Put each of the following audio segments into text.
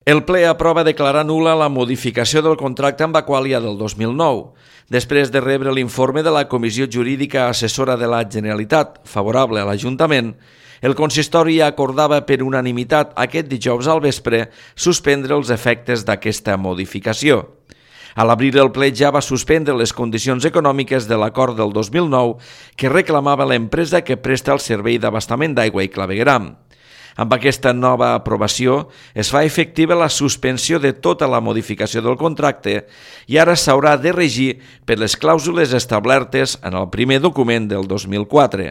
El ple aprova declarar nul·la la modificació del contracte amb Aqualia del 2009, després de rebre l'informe de la Comissió Jurídica Assessora de la Generalitat, favorable a l'Ajuntament. El consistori acordava per unanimitat aquest dijous al vespre suspendre els efectes d'aquesta modificació. A l'obrir el ple ja va suspendre les condicions econòmiques de l'acord del 2009 que reclamava l'empresa que presta el servei d'abastament d'aigua i clavegueram. Amb aquesta nova aprovació es fa efectiva la suspensió de tota la modificació del contracte i ara s'haurà de regir per les clàusules establertes en el primer document del 2004.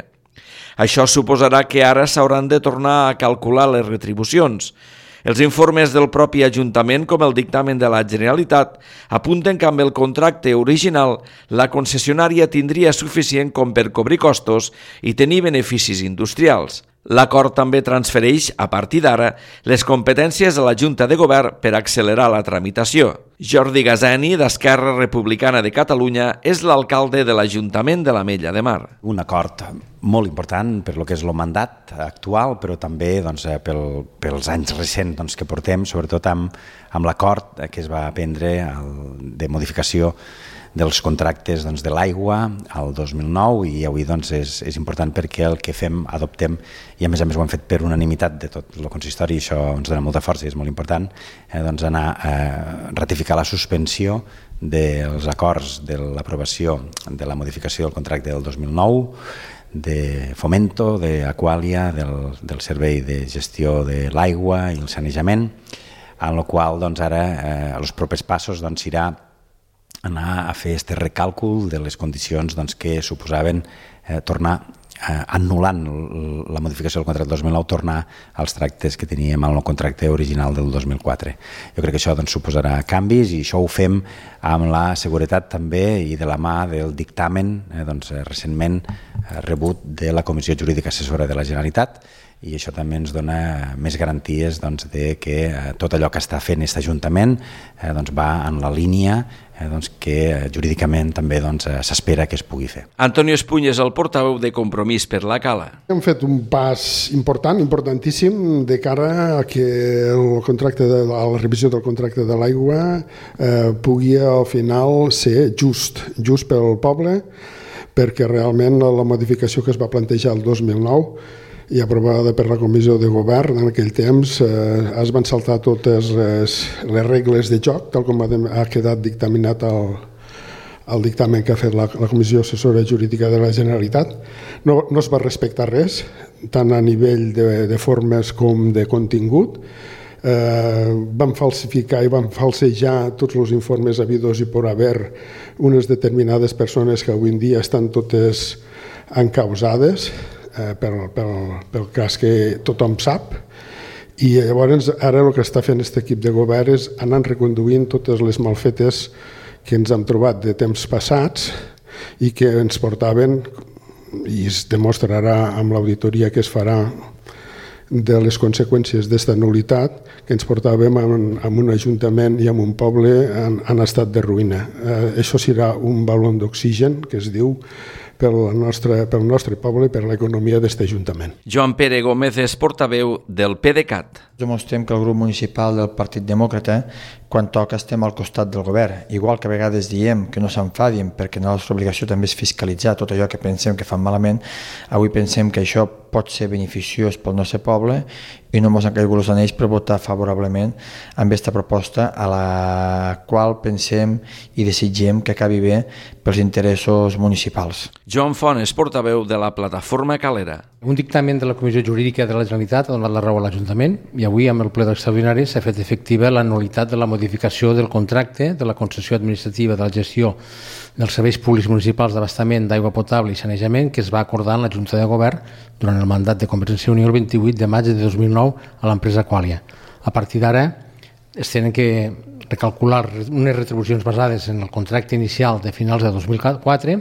Això suposarà que ara s'hauran de tornar a calcular les retribucions. Els informes del propi Ajuntament, com el dictamen de la Generalitat, apunten que amb el contracte original la concessionària tindria suficient com per cobrir costos i tenir beneficis industrials. L'acord també transfereix, a partir d'ara, les competències a la Junta de Govern per accelerar la tramitació. Jordi Gazani, d'Esquerra Republicana de Catalunya, és l'alcalde de l'Ajuntament de l'Ametlla de Mar. Un acord molt important per lo que és el mandat actual, però també pels anys recents que portem, sobretot amb l'acord que es va prendre de modificació dels contractes de l'aigua al 2009 i avui és important perquè el que fem, adoptem, i a més ho hem fet per unanimitat de tot el consistori, i això ens dona molta força i és molt important, anar a ratificar la suspensió dels acords de l'aprovació de la modificació del contracte del 2009, de Fomento, d'Aqualia, del servei de gestió de l'aigua i el sanejament, en el qual ara els propers passos serà anar a fer aquest recàlcul de les condicions que suposaven tornar, anul·lant la modificació del contracte del 2009, tornar als tractes que teníem en el contracte original del 2004. Jo crec que això suposarà canvis i això ho fem amb la seguretat també i de la mà del dictamen recentment rebut de la Comissió Jurídica Assessora de la Generalitat, i això també ens dona més garanties de que tot allò que està fent aquest Ajuntament va en la línia que jurídicament també s'espera que es pugui fer. Antonio Espuny és el portaveu de Compromís per la Cala. Hem fet un pas important, importantíssim, de cara a que la revisió del contracte de l'aigua pugui al final ser just pel poble, perquè realment la modificació que es va plantejar el 2009 i aprovada per la Comissió de Govern en aquell temps es van saltar totes les regles de joc, tal com ha quedat dictaminat el dictamen que ha fet la Comissió Assessora Jurídica de la Generalitat. No es va respectar res, tant a nivell de formes com de contingut. Van falsificar i van falsejar tots els informes habidos i por haver unes determinades persones que avui en dia estan totes encausades pel cas que tothom sap, i llavors ara el que està fent aquest equip de govern és anar reconduint totes les malfetes que ens hem trobat de temps passats i que ens portaven, i es demostrarà amb l'auditoria que es farà de les conseqüències d'aquesta nul·litat, que ens portàvem a un ajuntament i a un poble en estat de ruïna. Això serà un baló d'oxigen, que es diu, pel nostre poble i per l'economia d'aquest ajuntament. Joan Pere Gómez és portaveu del PDeCAT. Demostrem que el grup municipal del Partit Demòcrata, quan toca, estem al costat del govern. Igual que a vegades diem que no s'enfadin perquè la nostra obligació també és fiscalitzar tot allò que pensem que fan malament, avui pensem que això pot ser beneficiós pel nostre poble i no ens han caigut els anells per votar favorablement amb aquesta proposta a la qual pensem i desitgem que acabi bé pels interessos municipals. Joan Font és portaveu de la plataforma Calera. Un dictamen de la Comissió Jurídica de la Generalitat ha donat la raó a l'Ajuntament i avui amb el ple extraordinari s'ha fet efectiva la nul·litat de la modificació del contracte de la concessió administrativa de la gestió dels serveis públics municipals d'abastament d'aigua potable i sanejament que es va acordar en la Junta de Govern durant el mandat de Convergència i Unió el 28 de maig de 2009 a l'empresa Aqualia. A partir d'ara es tenen que recalcular unes retribucions basades en el contracte inicial de finals de 2004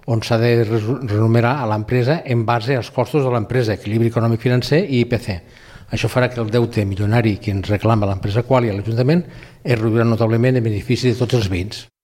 on s'ha de renumerar a l'empresa en base als costos de l'empresa, equilibri econòmic financer i IPC. Això farà que el deute milionari que ens reclama l'empresa Aqualia a l'Ajuntament es reduirà notablement en benefici de tots els veïns.